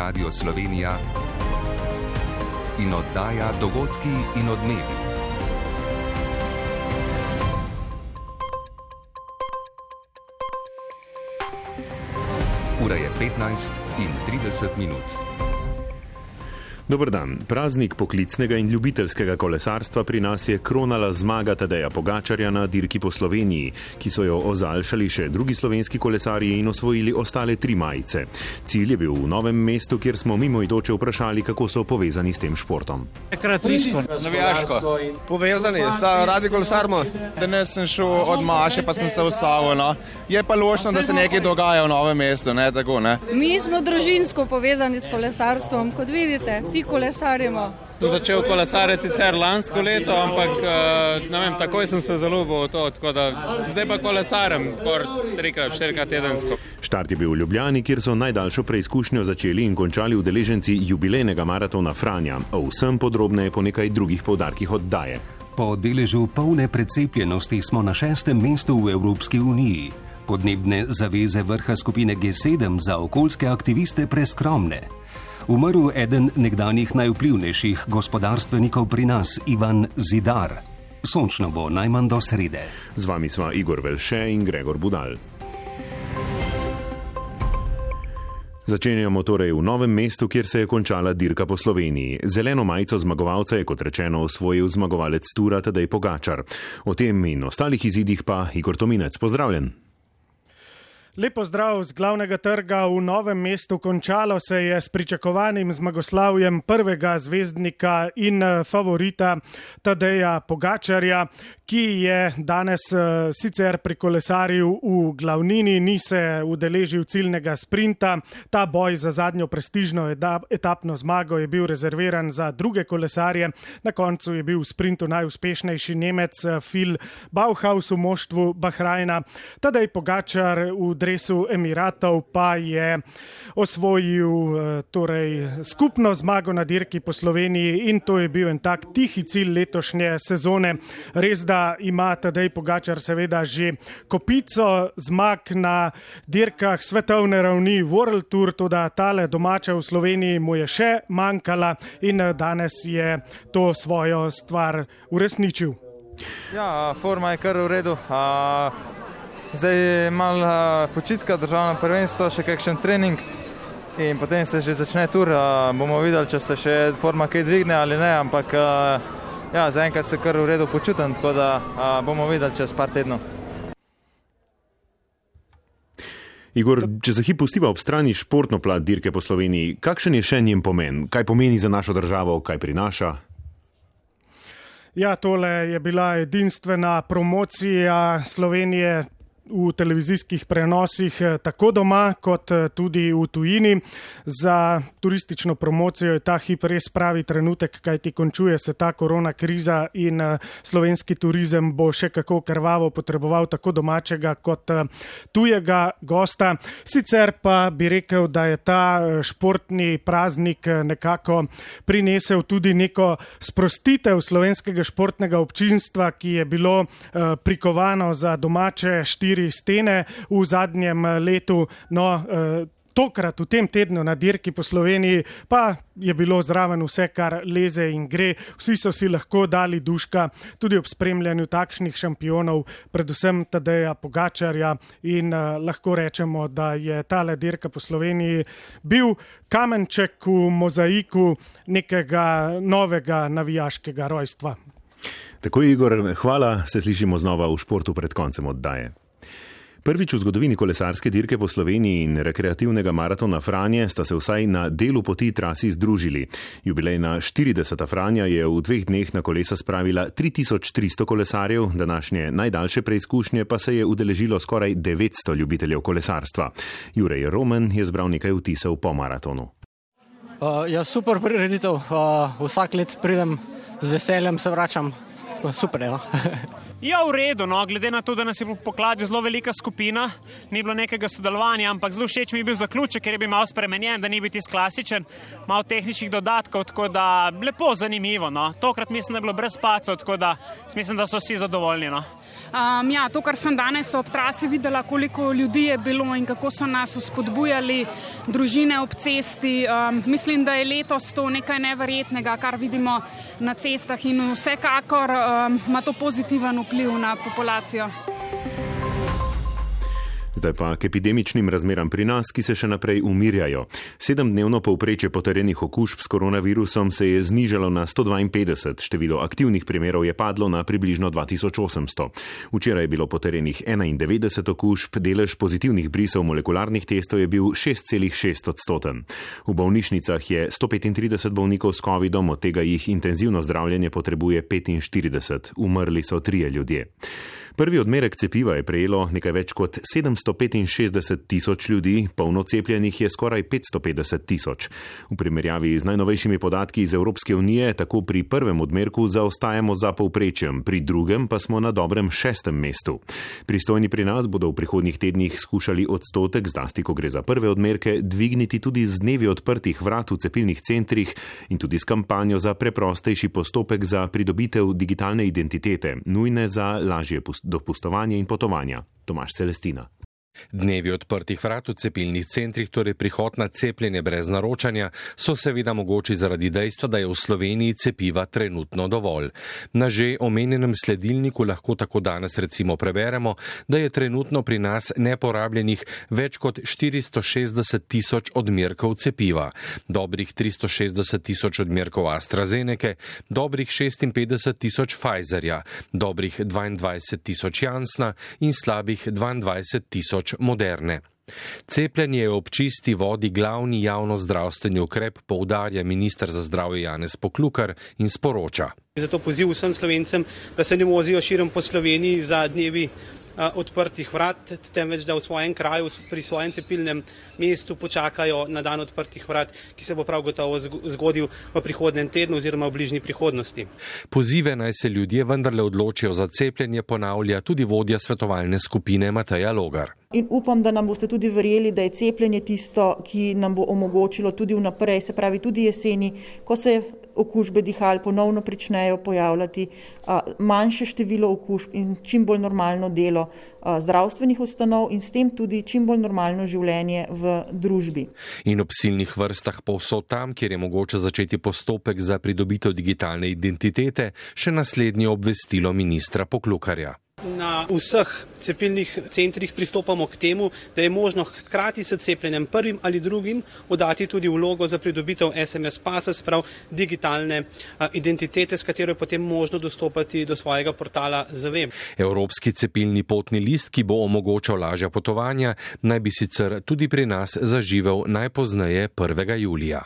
Radio Slovenija in oddaja Dogodki in odmevi. Ura je 15:30. Dober dan. Praznik poklicnega in ljubiteljskega kolesarstva pri nas je kronala zmaga Tadeja Pogačarja na dirki po Sloveniji, ki so jo ozaljšali še drugi slovenski kolesarji in osvojili ostale 3 majice. Cilj je bil v Novem mestu, kjer smo mimoidoče vprašali, kako so povezani s tem športom. Rekreacijsko, navijaško. Povezani, radi kolesarimo. Danes sem šel od Maše, pa sem se ustavil. No. Je pa ločno, da se nekaj dogaja v Novem mestu. Ne, tako, ne. Mi smo družinsko povezani s kolesarstvom, kot vidite. Vsi kolesarimo. Sem začel kolesariti sicer lansko leto, ampak ne vem, takoj sem se zaljubil v to, tako da zdaj pa kolesarem 3-4 tedensko. Štart je bil v Ljubljani, kjer so najdaljšo preizkušnjo začeli in končali udeleženci jubilejnega maratona Franja. O vsem podrobneje po nekaj drugih poudarkih oddaje. Po deležu polne precepljenosti smo na 6. mestu v Evropski uniji. Podnebne zaveze vrha skupine G7 za okoljske aktiviste preskromne. Umrl eden nekdanjih najvplivnejših gospodarstvenikov pri nas, Ivan Zidar. Sončno bo najmanj do srede. Z vami sva Igor Velše in Gregor Budal. Začenjamo torej v Novem mestu, kjer se je končala dirka po Sloveniji. Zeleno majico zmagovalca je, kot rečeno, osvojil zmagovalec tura Tadej Pogačar. O tem in ostalih izidih pa Igor Tominec. Pozdravljen. Lep pozdrav z glavnega trga v Novem mestu. Končalo se je s pričakovanim zmagoslavjem prvega zvezdnika in favorita Tadeja Pogačarja, ki je danes sicer prikolesaril v glavnini, ni se udeležil ciljnega sprinta. Ta boj za zadnjo prestižno etapno zmago je bil rezerviran za druge kolesarje. Na koncu je bil v sprintu najuspešnejši Nemec Phil Bauhaus v moštvu Bahrajna. Tadej Pogačar v dresu Emiratov pa je osvojil skupno zmago na dirki po Sloveniji in to je bil en tak tihi cilj letošnje sezone. Res, da ima Tadej Pogačar seveda že kopico zmag na dirkah svetovne ravni World Tour, toda tale domača v Sloveniji mu je še manjkala in danes je to svojo stvar uresničil. Ja, forma je kar v redu. Zdaj je malo počitka, državno prvenstvo, še kakšen trening in potem se že začne tur. Bomo videli, če se še forma kaj dvigne ali ne, ampak zaenkrat se kar v redu počutim, tako da bomo videli čez par tednov. Igor, če se hip pustiva ob strani športno plat dirke po Sloveniji, kakšen je še njen pomen? Kaj pomeni za našo državo, kaj prinaša? Ja, tole je bila edinstvena promocija Slovenije v televizijskih prenosih tako doma kot tudi v tujini. Za turistično promocijo je ta hip res pravi trenutek, kajti končuje se ta korona kriza in slovenski turizem bo še kako krvavo potreboval tako domačega kot tujega gosta. Sicer pa bi rekel, da je ta športni praznik nekako prinesel tudi neko sprostitev slovenskega športnega občinstva, ki je bilo prikovano za domače 4 stene v zadnjem letu. Tokrat v tem tednu na dirki po Sloveniji pa je bilo zraven vse, kar leze in gre. Vsi so si lahko dali duška tudi ob spremljanju takšnih šampionov, predvsem Tadeja Pogačarja in lahko rečemo, da je tale dirka po Sloveniji bil kamenček v mozaiku nekega novega navijaškega rojstva. Tako, Igor, hvala, se slišimo znova v športu pred koncem oddaje. Prvič v zgodovini kolesarske dirke po Sloveniji in rekreativnega maratona Franje sta se vsaj na delu poti trasi združili. Jubilejna 40. Franja je v 2 dneh na kolesa spravila 3300 kolesarjev, današnje najdaljše preizkušnje pa se je udeležilo skoraj 900 ljubiteljev kolesarstva. Jurej Roman je zbral nekaj vtisov po maratonu. Super prireditev, vsak let pridem, z veseljem se vračam, Super, ja. Ja, v redu, no, glede na to, da nas je po Kladju zelo velika skupina, ni bilo nekega sodelovanja, ampak zelo všeč mi je bil zaključek, ker je bil malo spremenjen, da ni bil tisti klasičen, malo tehničnih dodatkov, tako da lepo, zanimivo, no. Tokrat mislim, da je bilo brez pacov, tako da mislim, da so vsi zadovoljni, no. Ja, to, kar sem danes ob trasi videla, koliko ljudi je bilo in kako so nas vzpodbujali družine ob cesti. Mislim, da je letos to nekaj neverjetnega, kar vidimo na cestah in vsekakor ima to pozitiven vpliv na populacijo. Zdaj pa k epidemičnim razmeram pri nas, ki se še naprej umirjajo. 7-dnevno povprečje potrjenih okužb s koronavirusom se je znižalo na 152, število aktivnih primerov je padlo na približno 2800. Včeraj je bilo potrjenih 91 okužb, delež pozitivnih brisov molekularnih testov je bil 6,6%. V bolnišnicah je 135 bolnikov s covidom, od tega jih intenzivno zdravljenje potrebuje 45, umrli so 3 ljudje. Prvi odmerek cepiva je prejelo nekaj več kot 765 tisoč ljudi, polno cepljenih je skoraj 550 tisoč. V primerjavi z najnovejšimi podatki iz Evropske unije, tako pri prvem odmerku zaostajamo za povprečjem, pri drugem pa smo na dobrem 6. mestu. Pristojni pri nas bodo v prihodnjih tednih skušali odstotek, zlasti ko gre za prve odmerke, dvigniti tudi z dnevi odprtih vrat v cepilnih centrih in tudi s kampanjo za preprostejši postopek za pridobitev digitalne identitete, nujne za lažje dopustovanje in potovanja. Tomaž Celestina. Dnevi odprtih vrat v cepilnih centrih, torej prihod na cepljenje brez naročanja, so seveda mogoči zaradi dejstva, da je v Sloveniji cepiva trenutno dovolj. Na že omenjenem sledilniku lahko tako danes recimo preberemo, da je trenutno pri nas neporabljenih več kot 460 tisoč odmerkov cepiva, dobrih 360 tisoč odmerkov AstraZenece, dobrih 56 tisoč Pfizerja, dobrih 22 tisoč Janssena in slabih 22 tisoč Moderne. Cepljenje je ob čisti vodi glavni javnozdravstveni ukrep, poudarja minister za zdravje Janez Poklukar in sporoča. Zato poziv vsem Slovencem, da se ne vozijo širom po Sloveniji za dnevi odprtih vrat, temveč da v svojem kraju, pri svojem cepilnem mestu počakajo na dan odprtih vrat, ki se bo prav gotovo zgodil v prihodnjem tednu oziroma v bližnji prihodnosti. Pozive naj se ljudje vendarle odločijo za cepljenje, ponavlja tudi vodja svetovalne skupine Mateja Logar. In upam, da nam boste tudi verjeli, da je cepljenje tisto, ki nam bo omogočilo tudi vnaprej, se pravi tudi jeseni, ko se okužbe dihal ponovno pričnejo pojavljati, manjše število okužb in čim bolj normalno delo zdravstvenih ustanov in s tem tudi čim bolj normalno življenje v družbi. In ob silnih vrstah povsod tam, kjer je mogoče začeti postopek za pridobitev digitalne identitete, še naslednje obvestilo ministra Poklukarja. Na vseh cepilnih centrih pristopamo k temu, da je možno hkrati s cepljenjem prvim ali drugim oddati tudi vlogo za pridobitev SMS pasa, sprav digitalne identitete, s katero je potem možno dostopati do svojega portala ZVEM. Evropski cepilni potni list, ki bo omogočal lažja potovanja, naj bi sicer tudi pri nas zaživel najpozneje 1. julija.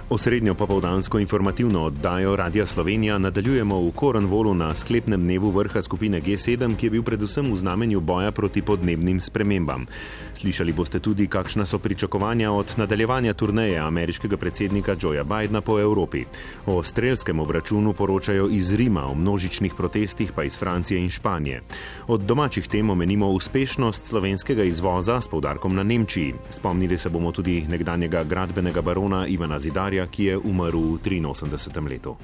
Osrednjo popoldansko informativno oddajo Radia Slovenija nadaljujemo v Cornwallu na sklepnem dnevu vrha skupine G7, ki je bil predvsem v znamenju boja proti podnebnim spremembam. Slišali boste tudi, kakšna so pričakovanja od nadaljevanja turneje ameriškega predsednika Joea Bidena po Evropi. O strelskem obračunu poročajo iz Rima, o množičnih protestih pa iz Francije in Španije. Od domačih tem omenimo uspešnost slovenskega izvoza s poudarkom na Nemčiji. Spomnili se bomo tudi nekdanjega gradbenega barona Ivana Zidarja, ki je umrl v 83. letu.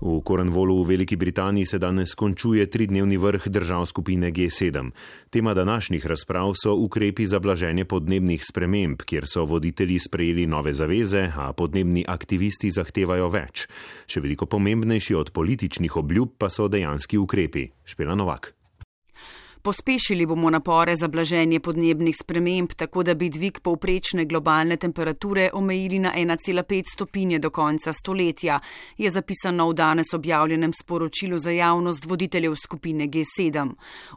V Cornwallu v Veliki Britaniji se danes končuje 3-dnevni vrh držav skupine G7. Tema današnjih razprav so ukrepi za blaženje podnebnih sprememb, kjer so voditelji sprejeli nove zaveze, a podnebni aktivisti zahtevajo več. Še veliko pomembnejši od političnih obljub pa so dejanski ukrepi. Špela Novak. Pospešili bomo napore za blaženje podnebnih sprememb, tako da bi dvig povprečne globalne temperature omejili na 1,5 stopinje do konca stoletja, je zapisano v danes objavljenem sporočilu za javnost voditeljev skupine G7.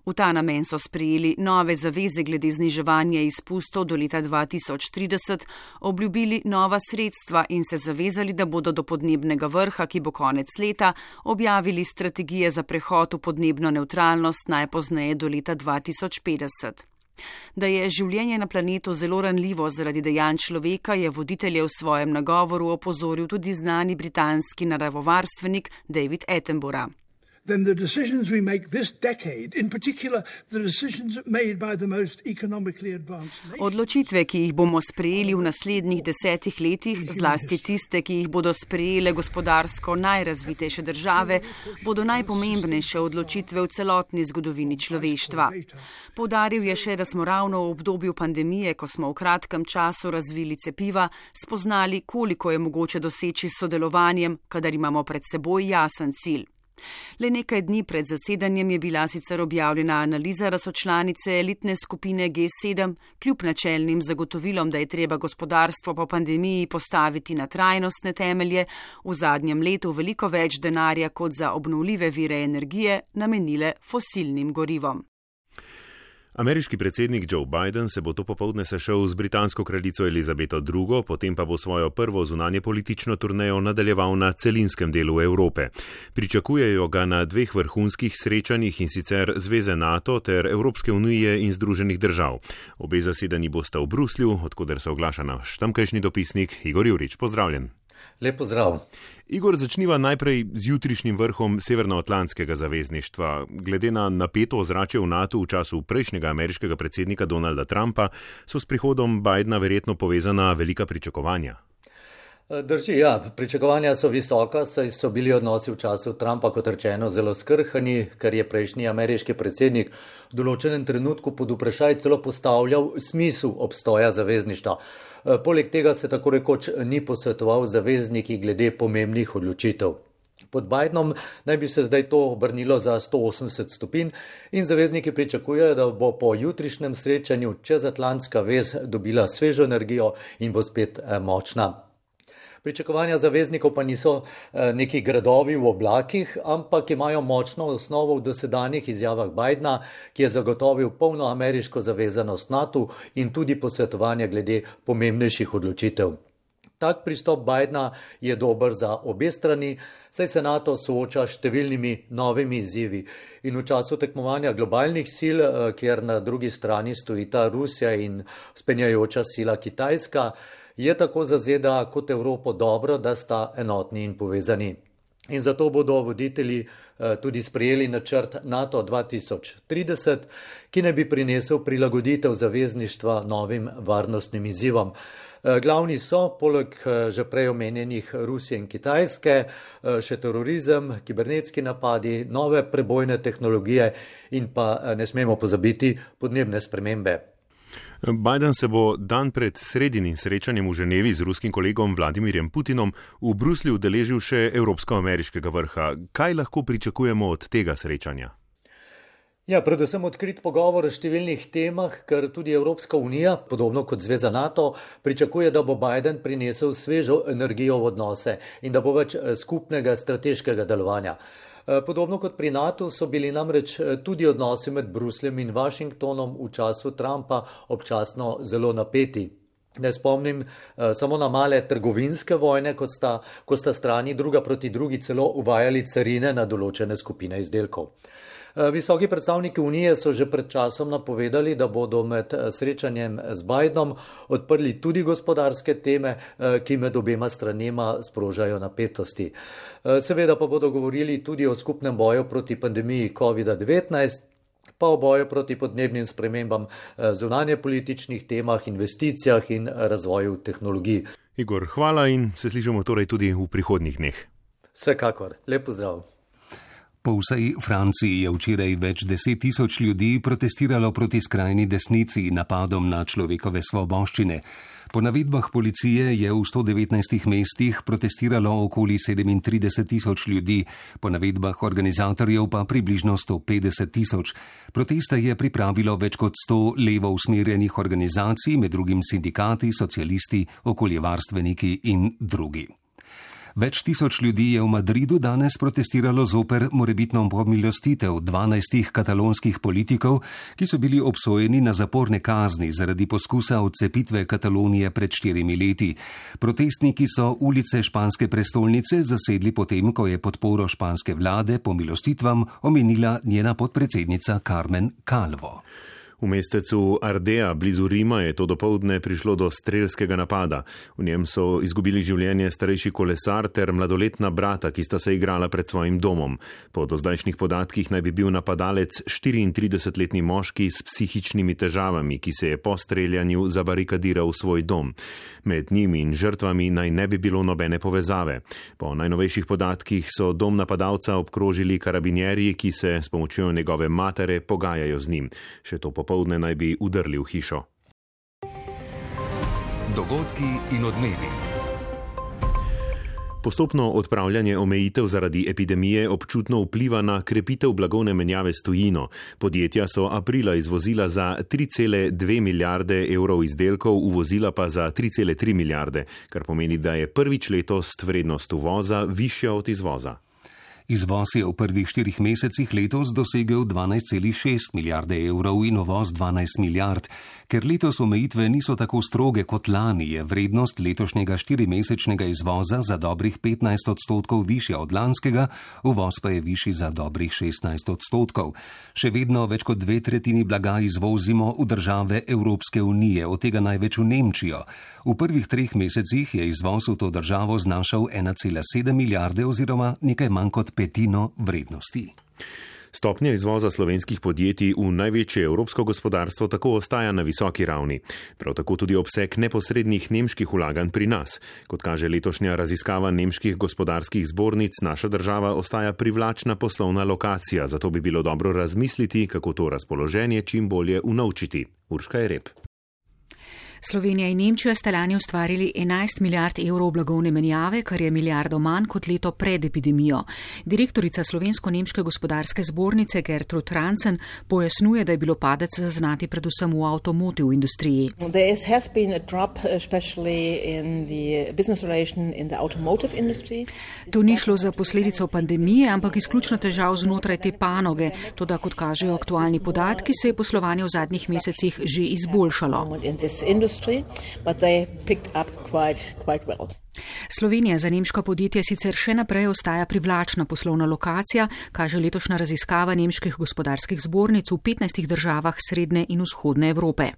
V ta namen so sprejeli nove zaveze glede zniževanja izpustov do leta 2030, obljubili nova sredstva in se zavezali, da bodo do podnebnega vrha, ki bo konec leta, objavili strategije za prehod v podnebno nevtralnost najpozneje do leta 2050. Da je življenje na planetu zelo ranljivo zaradi dejanj človeka, je voditelje v svojem nagovoru opozoril tudi znani britanski naravovarstvenik David Attenborough. Then the decisions we make this decade, in particular the decisions made by the most economically advanced nations. Odločitve, ki jih bomo sprejeli v naslednjih 10 letih, zlasti tiste, ki jih bodo sprejele gospodarsko najrazvitejše države, bodo najpomembnejše odločitve v celotni zgodovini človeštva. Poudaril je še, da smo ravno v obdobju pandemije, ko smo v kratkem času razvili cepiva, spoznali, koliko je mogoče doseči s sodelovanjem, kadar imamo pred seboj jasen cilj. Le nekaj dni pred zasedanjem je bila sicer objavljena analiza, da so članice elitne skupine G7 kljub načelnim zagotovilom, da je treba gospodarstvo po pandemiji postaviti na trajnostne temelje, v zadnjem letu veliko več denarja kot za obnovljive vire energije namenile fosilnim gorivom. Ameriški predsednik Joe Biden se bo to popoldne sešel z britansko kraljico Elizabeto II, potem pa bo svojo prvo zunanje politično turnejo nadaljeval na celinskem delu Evrope. Pričakujejo ga na 2 vrhunskih srečanjih, in sicer Zveze NATO ter Evropske unije in Združenih držav. Obe zasedanji bosta v Bruslju, odkuder se oglaša naš tamkajšnji dopisnik Igor Jurič. Pozdravljen. Lep pozdrav. Igor, začniva najprej z jutrišnjim vrhom Severnoatlantskega zavezništva. Glede na napeto ozračje v NATO v času prejšnjega ameriškega predsednika Donalda Trumpa, so s prihodom Bidena verjetno povezana velika pričakovanja. Drži, ja, pričakovanja so visoka, saj so bili odnosi v času Trumpa, kot rečeno, zelo skrhani, ker je prejšnji ameriški predsednik v določenem trenutku pod vprašaj celo postavljal smisel obstoja zavezništva. Poleg tega se tako rekoč ni posvetoval zavezniki glede pomembnih odločitev. Pod Bidenom naj bi se zdaj to obrnilo za 180 stopinj in zavezniki pričakujejo, da bo po jutrišnjem srečanju čezatlantska vez dobila svežo energijo in bo spet močna. Pričakovanja zaveznikov pa niso neki gradovi v oblakih, ampak imajo močno osnovo v dosedanjih izjavah Bidena, ki je zagotovil polno ameriško zavezanost NATO in tudi posvetovanje glede pomembnejših odločitev. Tak pristop Bidena je dober za obe strani, saj se NATO sooča s številnimi novimi izzivi. In v času tekmovanja globalnih sil, kjer na drugi strani stojita Rusija in vzpenjajoča sila Kitajska, je tako za ZDA kot Evropo dobro, da sta enotni in povezani. In zato bodo voditelji tudi sprejeli načrt NATO 2030, ki naj bi prinesel prilagoditev zavezništva novim varnostnim izzivom. Glavni so, poleg že prej omenjenih Rusije in Kitajske, še terorizem, kibernetski napadi, nove prebojne tehnologije in pa ne smemo pozabiti podnebne spremembe. Biden se bo dan pred sredinim srečanjem v Ženevi z ruskim kolegom Vladimirjem Putinom v Bruslju udeležil še evropsko-ameriškega vrha. Kaj lahko pričakujemo od tega srečanja? Ja, predvsem odkrit pogovor o številnih temah, ker tudi Evropska unija, podobno kot Zveza NATO, pričakuje, da bo Biden prinesel svežo energijo v odnose in da bo več skupnega strateškega delovanja. Podobno kot pri NATO so bili namreč tudi odnosi med Brusljem in Washingtonom v času Trumpa občasno zelo napeti. Ne spomnim samo na male trgovinske vojne, ko sta strani druga proti drugi celo uvajali carine na določene skupine izdelkov. Visoki predstavniki Unije so že pred časom napovedali, da bodo med srečanjem z Bidenom odprli tudi gospodarske teme, ki med obema stranema sprožajo napetosti. Seveda pa bodo govorili tudi o skupnem boju proti pandemiji COVID-19, pa o boju proti podnebnim spremembam, zunanje političnih temah, investicijah in razvoju tehnologij. Igor, hvala in se slišimo torej tudi v prihodnjih dneh. Vsekakor, lep pozdrav. Po vsej Franciji je včeraj več 10 tisoč ljudi protestiralo proti skrajni desnici napadom na človekove svoboščine. Po navedbah policije je v 119 mestih protestiralo okoli 37 tisoč ljudi, po navedbah organizatorjev pa približno 150 tisoč. Proteste je pripravilo več kot 100 levo usmerjenih organizacij, med drugim sindikati, socialisti, okoljevarstveniki in drugi. Več tisoč ljudi je v Madridu danes protestiralo zoper morebitno pomilostitev 12 katalonskih politikov, ki so bili obsojeni na zaporne kazni zaradi poskusa odcepitve Katalonije pred 4 leti. Protestniki so ulice španske prestolnice zasedli potem, ko je podporo španske vlade pomilostitvam omenila njena podpredsednica Carmen Calvo. V mestecu Ardea blizu Rima je to dopoldne prišlo do strelskega napada. V njem so izgubili življenje starejši kolesar ter mladoletna brata, ki sta se igrala pred svojim domom. Po dozdajšnjih podatkih naj bi bil napadalec 34-letni moški s psihičnimi težavami, ki se je po streljanju zabarikadiral v svoj dom. Med njim in žrtvami naj ne bi bilo nobene povezave. Po najnovejših podatkih so dom napadalca obkrožili karabinjerji, ki se s pomočjo njegove matere pogajajo z njim. Še to popoldne naj bi udrli v hišo. Dogodki in odmevi. Postopno odpravljanje omejitev zaradi epidemije občutno vpliva na krepitev blagovne menjave s tujino. Podjetja so aprila izvozila za 3,2 milijarde evrov izdelkov, uvozila pa za 3,3 milijarde, kar pomeni, da je prvič letos vrednost uvoza višja od izvoza. Izvoz je v prvih 4 mesecih letos dosegel 12,6 milijarde evrov in uvoz 12 milijard. Ker letos omejitve niso tako stroge kot lani, je vrednost letošnjega 4-mesečnega izvoza za dobrih 15% višja od lanskega, uvoz pa je višji za dobrih 16%. Še vedno več kot 2/3 blaga izvozimo v države Evropske unije, od tega največ v Nemčijo. V prvih 3 mesecih je izvoz v to državo znašal 1,7 milijarde oziroma nekaj manj kot petino vrednosti. Stopnja izvoza slovenskih podjetij v največje evropsko gospodarstvo tako ostaja na visoki ravni. Prav tako tudi obseg neposrednih nemških vlaganj pri nas. Kot kaže letošnja raziskava nemških gospodarskih zbornic, naša država ostaja privlačna poslovna lokacija, zato bi bilo dobro razmisliti, kako to razpoloženje čim bolje unovčiti. Urška Jereb. Slovenija in Nemčija sta lani ustvarili 11 milijard evrov blagovne menjave, kar je milijardo manj kot leto pred epidemijo. Direktorica Slovensko-nemške gospodarske zbornice Gertrud Rantzen pojasnjuje, da je bilo padec zaznati predvsem v avtomotiv industriji. To ni šlo za posledico pandemije, ampak izključno težav znotraj te panoge. Toda, kot kažejo aktualni podatki, se je poslovanje v zadnjih mesecih že izboljšalo. But they picked up quite well. Slovenija za nemška podjetja sicer še naprej ostaja privlačna poslovna lokacija, kaže letošnja raziskava nemških gospodarskih zbornic v 15 državah srednje in vzhodne Evrope.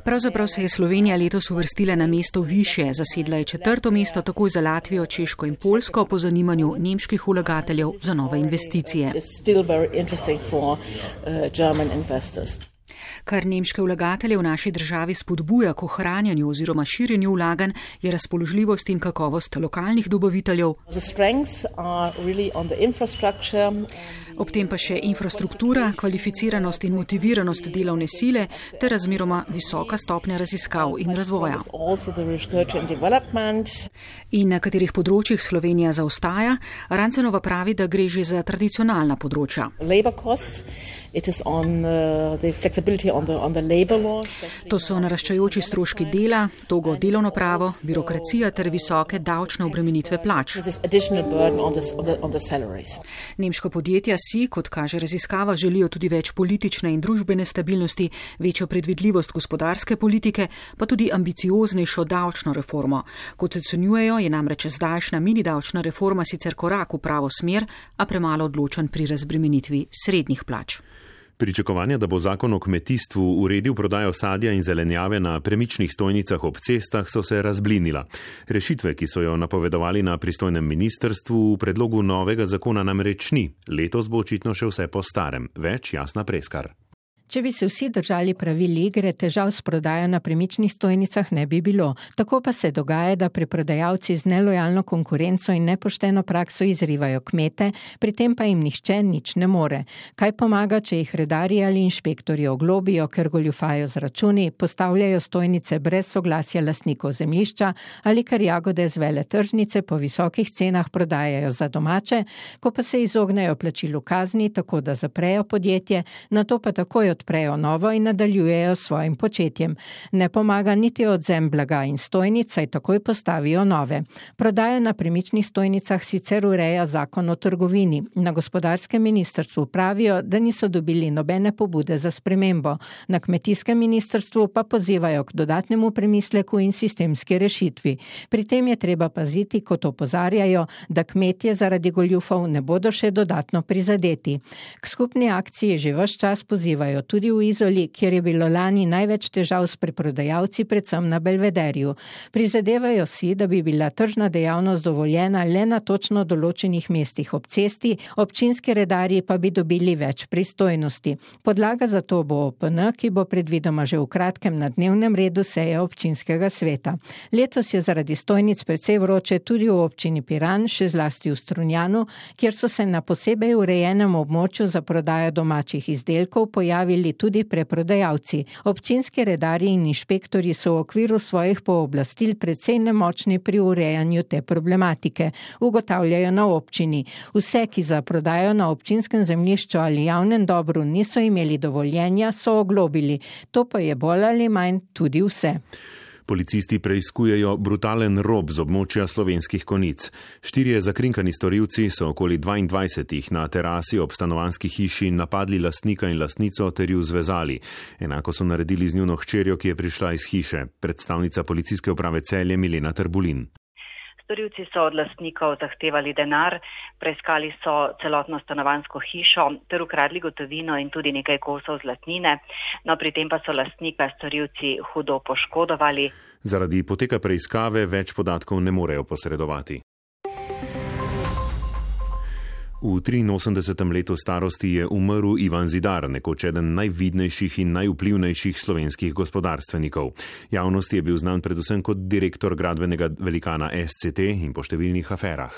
Pravzaprav se je Slovenija letos uvrstila na mesto višje, zasedla je 4. mesto takoj za Latvijo, Češko in Poljsko po zanimanju nemških vlagateljev za nove investicije. Kar nemške vlagatelje v naši državi spodbuja k ohranjanju oziroma širjenju vlaganj, je razpoložljivost in kakovost lokalnih dobaviteljev. Ob tem pa še infrastruktura, kvalificiranost in motiviranost delovne sile ter razmeroma visoka stopnja raziskav in razvoja. In na katerih področjih Slovenija zaostaja, Rancenova pravi, da gre že za tradicionalna področja. To so naraščajoči stroški dela, togo delovno pravo, birokracija ter visoke davčne obremenitve plač. Nemška podjetja si, kot kaže raziskava, želijo tudi več politične in družbene stabilnosti, večjo predvidljivost gospodarske politike, pa tudi ambicioznejšo davčno reformo. Kot ocenjujejo, je namreč zdajšnja mini davčna reforma sicer korak v pravo smer, a premalo odločen pri razbremenitvi srednjih plač. Pričakovanja, da bo zakon o kmetijstvu uredil prodajo sadja in zelenjave na premičnih stojnicah ob cestah, so se razblinila. Rešitve, ki so jo napovedovali na pristojnem ministrstvu, v predlogu novega zakona namreč ni. Letos bo očitno še vse po starem. Več Jasna Preskar. Če bi se vsi držali pravil igre, težav s prodajo na premičnih stojnicah ne bi bilo. Tako pa se dogaja, da preprodajalci z nelojalno konkurenco in nepošteno prakso izrivajo kmete, pri tem pa jim nihče nič ne more. Kaj pomaga, če jih redarji ali inšpektorji oglobijo, ker goljufajo z računi, postavljajo stojnice brez soglasja lastnikov zemljišča ali ker jagode z veletržnice po visokih cenah prodajajo za domače, ko pa se izognejo plačilu kazni, tako da zaprejo podjetje, nato pa takoj odprejo novo in nadaljujejo s svojim početjem. Ne pomaga niti odvzem blaga in stojnic, saj takoj postavijo nove. Prodaja na premičnih stojnicah sicer ureja zakon o trgovini. Na gospodarskem ministrstvu pravijo, da niso dobili nobene pobude za spremembo. Na kmetijskem ministrstvu pa pozivajo k dodatnemu premisleku in sistemski rešitvi. Pri tem je treba paziti, kot opozarjajo, da kmetje zaradi goljufov ne bodo še dodatno prizadeti. K skupni akciji že ves čas pozivajo tudi v Izoli, kjer je bilo lani največ težav s preprodajalci, predvsem na Belvederju. Prizadevajo si, da bi bila tržna dejavnost dovoljena le na točno določenih mestih ob cesti, občinski redarji pa bi dobili več pristojnosti. Podlaga za to bo OPN, ki bo predvidoma že v kratkem na dnevnem redu seje občinskega sveta. Letos je zaradi stojnic precej vroče tudi v občini Piran, še zlasti v Strunjanu, kjer so se na posebej urejenem območju za prodajo domačih izdelkov pojavili tudi preprodajalci. Občinski redarji in inšpektorji so v okviru svojih pooblastil precej nemočni pri urejanju te problematike, ugotavljajo na občini. Vse, ki za prodajo na občinskem zemljišču ali javnem dobru niso imeli dovoljenja, so oglobili. To pa je bolj ali manj tudi vse. Policisti preiskujejo brutalen rob z območja Slovenskih Konjic. 4 zakrinkani storilci so okoli 22 na terasi ob stanovanjski hiši napadli lastnika in lastnico ter ju zvezali. Enako so naredili z njuno hčerjo, ki je prišla iz hiše. Predstavnica policijske uprave Celje Milena Trbulin. Storilci so od lastnikov zahtevali denar, preiskali so celotno stanovanjsko hišo ter ukradli gotovino in tudi nekaj kosov zlatnine, no pri tem pa so lastnika storilci hudo poškodovali. Zaradi poteka preiskave več podatkov ne morejo posredovati. V 83. letu starosti je umrl Ivan Zidar, nekoč eden najvidnejših in najvplivnejših slovenskih gospodarstvenikov. Javnosti je bil znan predvsem kot direktor gradbenega velikana SCT in po številnih aferah.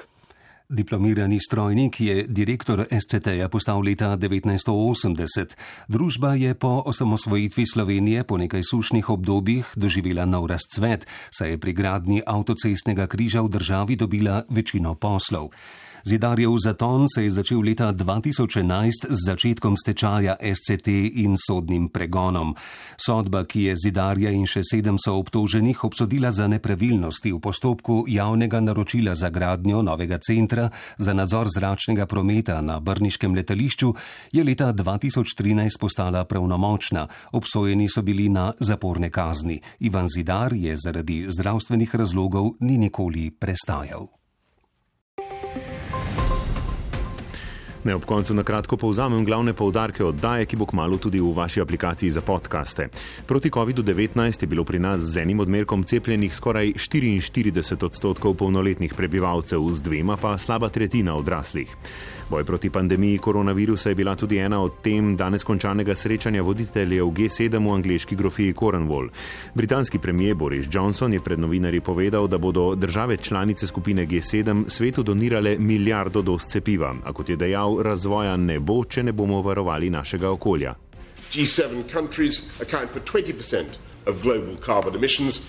Diplomirani strojnik je direktor SCT-ja postal leta 1980. Družba je po osamosvojitvi Slovenije po nekaj sušnih obdobjih doživela nov razcvet, saj je pri gradnji avtocestnega križa v državi dobila večino poslov. Zidarjev zaton se je začel leta 2011 z začetkom stečaja SCT in sodnim pregonom. Sodba, ki je Zidarja in še 7 soobtoženih obsodila za nepravilnosti v postopku javnega naročila za gradnjo novega centra za nadzor zračnega prometa na brniškem letališču, je leta 2013 postala pravnomočna. Obsojeni so bili na zaporne kazni. Ivan Zidar je zaradi zdravstvenih razlogov ni nikoli prestajal. Ne, ob koncu na kratko povzamem glavne poudarke oddaje, ki bo kmalu tudi v vaši aplikaciji za podcaste. Proti COVID-19 je bilo pri nas z enim odmerkom cepljenih skoraj 44% polnoletnih prebivalcev, z 2 pa slaba tretjina odraslih. Boj proti pandemiji koronavirusa je bila tudi ena od tem danes končanega srečanja voditeljev G7 v angleški grofiji Cornwall. Britanski premijer Boris Johnson je pred novinarji povedal, da bodo države članice skupine G7 svetu donirale milijardo doz cepiva, a kot je dejal, razvoja ne bo, če ne bomo varovali našega okolja. G7 countries account for 20% of global carbon emissions.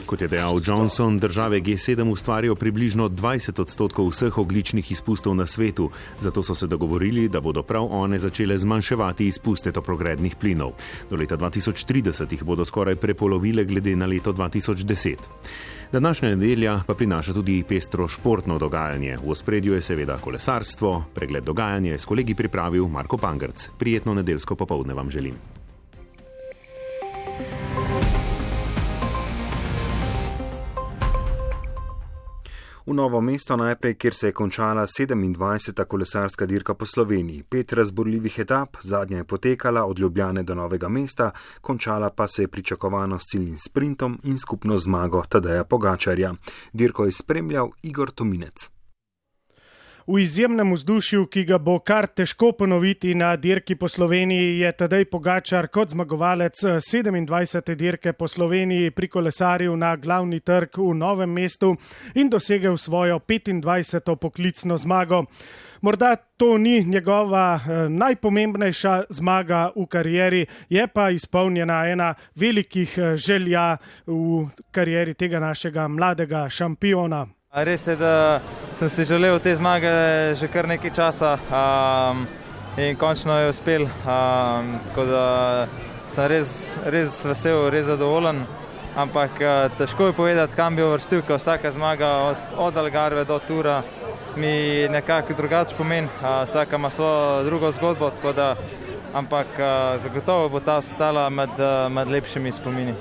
Kot je dejal Johnson, države G7 ustvarijo približno 20% vseh ogljičnih izpustov na svetu, zato so se dogovorili, da bodo prav one začele zmanjševati izpuste toplogrednih plinov. Do leta 2030 jih bodo skoraj prepolovile glede na leto 2010. Današnja nedelja pa prinaša tudi pestro športno dogajanje. V ospredju je seveda kolesarstvo. Pregled dogajanja je s kolegi pripravil Marko Pangrc. Prijetno nedeljsko popoldne vam želim. V Novo mesto najprej, kjer se je končala 27. kolesarska dirka po Sloveniji. 5 razborljivih etap, zadnja je potekala od Ljubljane do Novega mesta, končala pa se je pričakovano s ciljnim sprintom in skupno zmago Tadeja Pogačarja. Dirko je spremljal Igor Tominec. V izjemnem vzdušju, ki ga bo kar težko ponoviti na dirki po Sloveniji, je Tadej Pogačar kot zmagovalec 27. dirke po Sloveniji prikolesaril na glavni trg v Novem mestu in dosegel svojo 25. poklicno zmago. Morda to ni njegova najpomembnejša zmaga v karieri, je pa izpolnjena ena velikih želja v karieri tega našega mladega šampiona. Res je, da sem si želel te zmage že kar nekaj časa. in končno je uspel. Tako da sem res vesel, res zadovoljen. Ampak težko je povedati, kam bi uvrstil, ker vsaka zmaga od Algarve do Tura mi nekako drugače pomeni. Vsaka ima svojo drugo zgodbo, tako da, ampak zagotovo bo ta ostala med lepšimi spomini.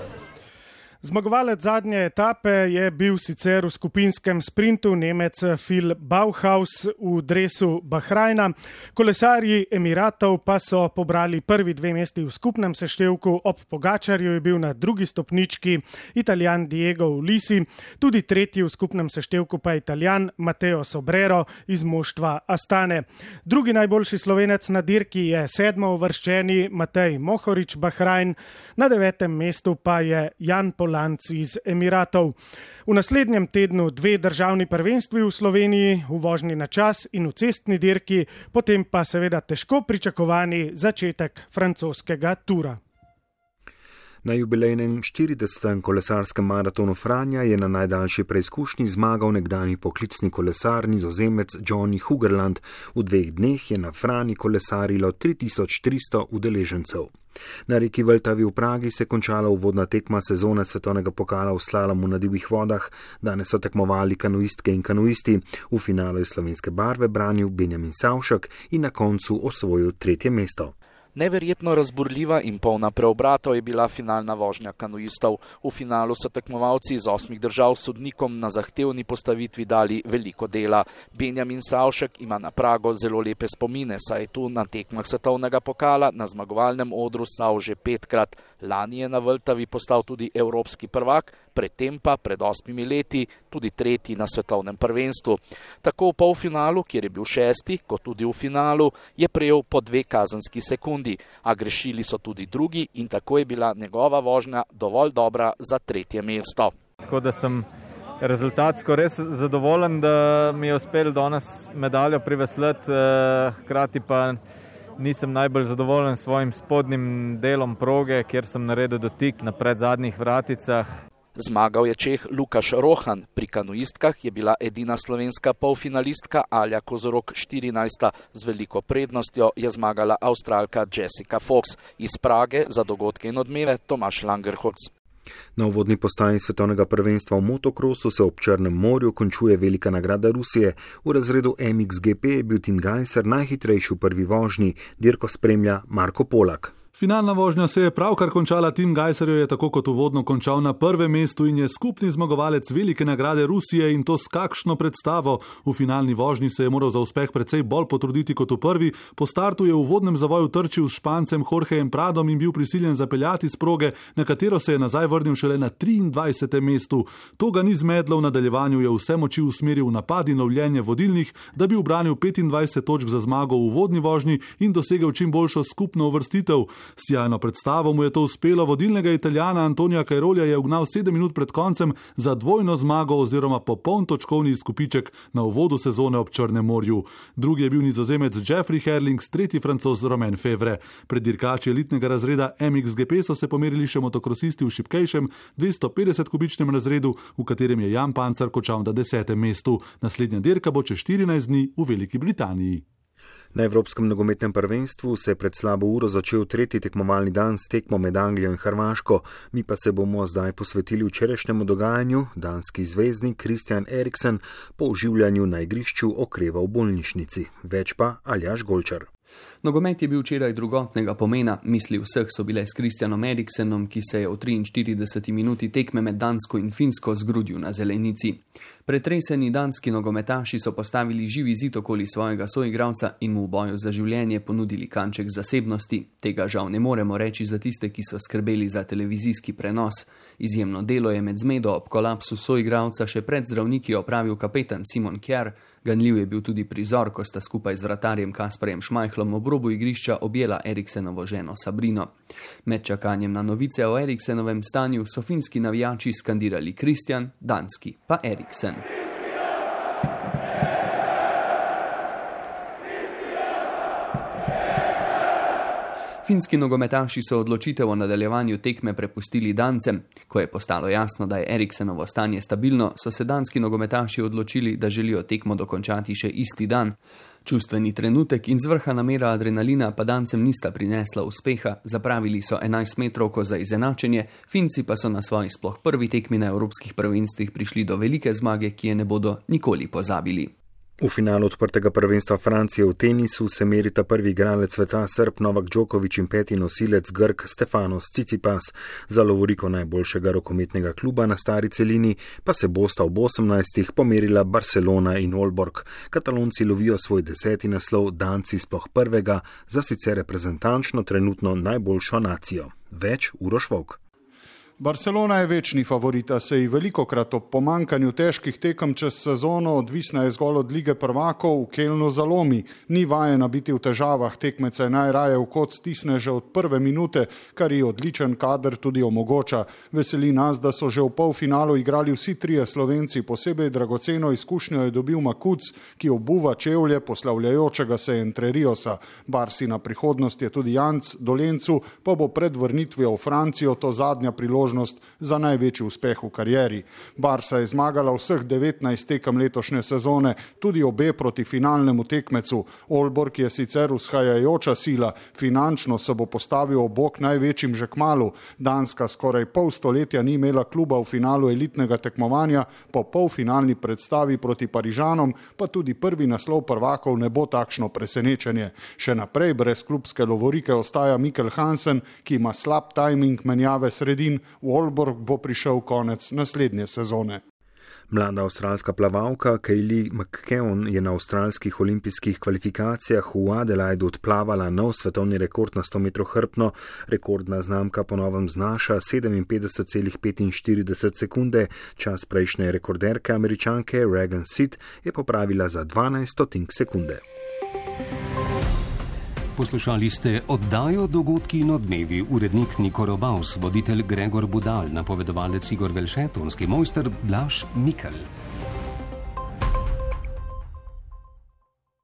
Zmagovalec zadnje etape je bil sicer v skupinskem sprintu Nemec Phil Bauhaus v dresu Bahrajna. Kolesarji Emiratov pa so pobrali prvi 2 mesti v skupnem seštevku, ob Pogačarju je bil na drugi stopnički Italijan Diego Ulissi, tudi tretji v skupnem seštevku pa Italijan Matteo Sobrero iz moštva Astane. Drugi najboljši Slovenec na dirki je 7. uvrščeni Matej Mohorič Bahrajn, na 9. mestu pa je Jan Polanc iz Emiratov. V naslednjem tednu 2 državni prvenstvi v Sloveniji, v vožnji na čas in v cestni dirki, potem pa seveda težko pričakovani začetek francoskega Tura. Na jubilejnem 40. kolesarskem maratonu Franja je na najdaljši preizkušnji zmagal nekdanji poklicni kolesar Nizozemec Johnny Hugerland. V 2 dneh je na Franji kolesarilo 3300 udeležencev. Na reki Vltavi v Pragi se je končala uvodna tekma sezone svetovnega pokala v slalomu na divjih vodah. Danes so tekmovali kanuistke in kanuisti. V finalu je slovenske barve branil Benjamin Savšek in na koncu osvojil 3. mesto. Neverjetno razburljiva in polna preobratov je bila finalna vožnja kanuistov. V finalu so tekmovalci iz 8 držav sodnikom na zahtevni postavitvi dali veliko dela. Benjamin Savšek ima na Prago zelo lepe spomine, saj je tu na tekmah svetovnega pokala na zmagovalnem odru stal že 5-krat. Lani je na Vltavi postal tudi evropski prvak, predtem pa pred 8 leti tudi 3. na svetovnem prvenstvu. Tako v polfinalu, kjer je bil 6., kot tudi v finalu, je prejel po 2 kazenski sekundi, a grešili so tudi drugi in tako je bila njegova vožnja dovolj dobra za 3. mesto. Tako da sem rezultatsko res zadovoljen, da mi je uspel danes medaljo privesleti, hkrati pa nisem najbolj zadovoljen s svojim spodnjim delom proge, kjer sem naredil dotik na predzadnjih vraticah. Zmagal je Čeh Lukaš Rohan, pri kanuistkah je bila edina slovenska polfinalistka Alja Kozorog 14. Z veliko prednostjo je zmagala Avstralka Jessica Fox. Iz Prage za dogodke in odmeve Tomaš Langerhoc. Na uvodni postaji svetovnega prvenstva v motokrosu se ob Črnem morju končuje velika nagrada Rusije. V razredu MXGP je bil Tim Gajser najhitrejši v prvi vožnji, dirko spremlja Marko Polak. Finalna vožnja se je pravkar končala, Tim Gajser jo je tako kot uvodno končal na 1. mestu in je skupni zmagovalec velike nagrade Rusije in to s kakšno predstavo. V finalni vožnji se je moral za uspeh precej bolj potruditi kot v prvi. Po startu je v uvodnem zavoju trčil s Špancem Jorgejem Pradom in bil prisiljen zapeljati s proge, na katero se je nazaj vrnil šele na 23. mestu. To ga ni zmedlo, v nadaljevanju je vse moči usmeril v napad in lovljenje vodilnih, da bi ubranil 25 točk za zmago v uvodni vožnji in dosegel čim boljšo skupno uvrstitev. S sjajno predstavo mu je to uspelo, vodilnega Italijana Antonija Cairolja je ugnal 7 minut pred koncem za dvojno zmago oziroma popoln točkovni izkupiček na uvodu sezone ob Črnem morju. Drugi je bil Nizozemec Jeffrey Herlings, tretji Francoz Romain Fevre. Pred dirkači elitnega razreda MXGP so se pomerili še motokrosisti v šibkejšem 250-kubičnem razredu, v katerem je Jan Pancar končal na 10. mestu. Naslednja dirka bo čez 14 dni v Veliki Britaniji. Na Evropskem nogometnem prvenstvu se je pred slabo uro začel 3. tekmovalni dan s tekmo med Anglijo in Hrvaško. Mi pa se bomo zdaj posvetili včerajšnjemu dogajanju. Danski zvezdnik Christian Eriksen po oživljanju na igrišču okreva v bolnišnici. Več pa Aljaž Golčar. Nogomet je bil včeraj drugotnega pomena, misli vseh so bile s Christianom Eriksenom, ki se je v 43 minuti tekme med Dansko in Finsko zgrudil na zelenici. Pretreseni danski nogometaši so postavili živi zid okoli svojega soigralca in mu v boju za življenje ponudili kanček zasebnosti. Tega žal ne moremo reči za tiste, ki so skrbeli za televizijski prenos. Izjemno delo je med zmedo ob kolapsu soigralca še pred zdravniki opravil kapetan Simon Kjær. Ganljiv je bil tudi prizor, ko sta skupaj z vratarjem Kasparjem Šmajhlom ob robu igrišča objela Eriksenovo ženo Sabrino. Med čakanjem na novice o Eriksenovem stanju so finski navijači skandirali Christian, danski pa Eriksen. Finski nogometaši so odločitev o nadaljevanju tekme prepustili Dancem. Ko je postalo jasno, da je Eriksenovo stanje stabilno, so se danski nogometaši odločili, da želijo tekmo dokončati še isti dan. Čustveni trenutek in zvrha namera adrenalina pa Dancem nista prinesla uspeha, zapravili so 11 metrovko za izenačenje, Finci pa so na svoji sploh prvi tekmi na evropskih prvenstvih prišli do velike zmage, ki je ne bodo nikoli pozabili. V finalu odprtega prvenstva Francije v tenisu se merita prvi igralec sveta Srb Novak Djokovic in peti nosilec Grk Stefanos Tsitsipas. Za lovoriko najboljšega rokometnega kluba na stari celini pa se bosta ob 18. pomerila Barcelona in Aalborg. Katalonci lovijo svoj 10. naslov, Danci sploh prvega, za sicer reprezentančno trenutno najboljšo nacijo. Več Uroš Vovk. Barcelona je večni favorit, a se ji velikokrat ob pomankanju težkih tekem čez sezono, odvisna je zgolj od lige prvakov, v Kelnu zalomi. Ni vajena biti v težavah, tekmeca najraje v kot stisne že od prve minute, kar ji odličen kader tudi omogoča. Veseli nas, da so že v polfinalu igrali vsi trije Slovenci, posebej dragoceno izkušnjo je dobil Makuc, ki obuva čevlje poslavljajočega se Entreriosa. Barsina prihodnost je tudi Janc, Dolencu pa bo pred vrnitvijo v Francijo to zadnja priložnost za največji uspeh v karieri. Barsa je zmagala vseh 19 tekem letošnje sezone, tudi obe proti finalnemu tekmecu. Aalborg je sicer vzhajajoča sila, finančno se bo postavil ob bok največjim že kmalu. Danska skoraj pol stoletja ni imela kluba v finalu elitnega tekmovanja, po polfinalni predstavi proti Parižanom pa tudi prvi naslov prvakov ne bo takšno presenečenje. Še naprej brez klubske lovorike ostaja Mikkel Hansen, ki ima slab tajming menjave sredin. V Aalborg bo prišel konec naslednje sezone. Mlada avstralska plavalka Kaylee McKeown je na avstralskih olimpijskih kvalifikacijah v Adelaidu odplavala nov svetovni rekord na 100 metrov hrbtno. Rekordna znamka po novem znaša 57,45 sekunde. Čas prejšnje rekorderke Američanke Regan Sid je popravila za 12 sekunde. Poslušali ste oddajo Dogodki in odmevi, urednik Niko Robaus, voditelj Gregor Budal, napovedovalec Igor Velšet, tonski mojster Blaž Mikel.